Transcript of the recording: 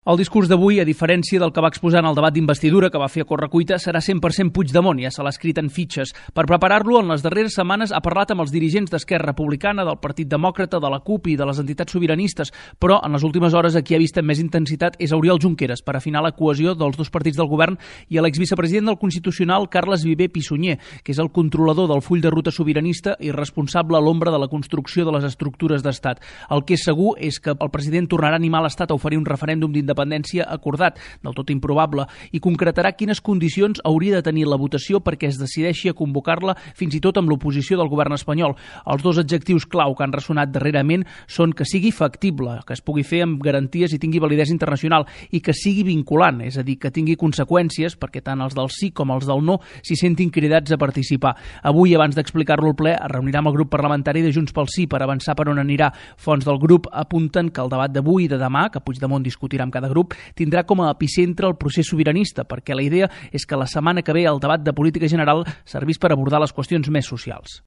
El discurs d'avui, a diferència del que va exposar en el debat d'investidura que va fer a correcuita, serà 100% Puigdemont, ja se l'ha escrit en fitxes. Per preparar-lo, en les darreres setmanes ha parlat amb els dirigents d'Esquerra Republicana, del Partit Demòcrata, de la CUP i de les entitats sobiranistes, però en les últimes hores qui ha vist amb més intensitat és Oriol Junqueras, per afinar la cohesió dels dos partits del govern, i a l'exvicepresident del Constitucional, Carles Viver Pissunyer, que és el controlador del full de ruta sobiranista i responsable a l'ombra de la construcció de les estructures d'estat. El que és segur és que el president tornarà a animar l'Estat a oferir un referèndum d'independència acordat, del tot improbable, i concretarà quines condicions hauria de tenir la votació perquè es decideixi a convocar-la fins i tot amb l'oposició del govern espanyol. Els dos adjectius clau que han ressonat darrerament són que sigui factible, que es pugui fer amb garanties i tingui validesa internacional, i que sigui vinculant, és a dir, que tingui conseqüències perquè tant els del sí com els del no s'hi sentin cridats a participar. Avui, abans d'explicar-lo al ple, es reunirà amb el grup parlamentari de Junts pel Sí per avançar per on anirà. Fonts del grup apunten que el debat d'avui i de demà, que Puigdemont discutirà amb cada grup, tindrà com a epicentre el procés sobiranista, perquè la idea és que la setmana que ve el debat de política general servís per abordar les qüestions més socials.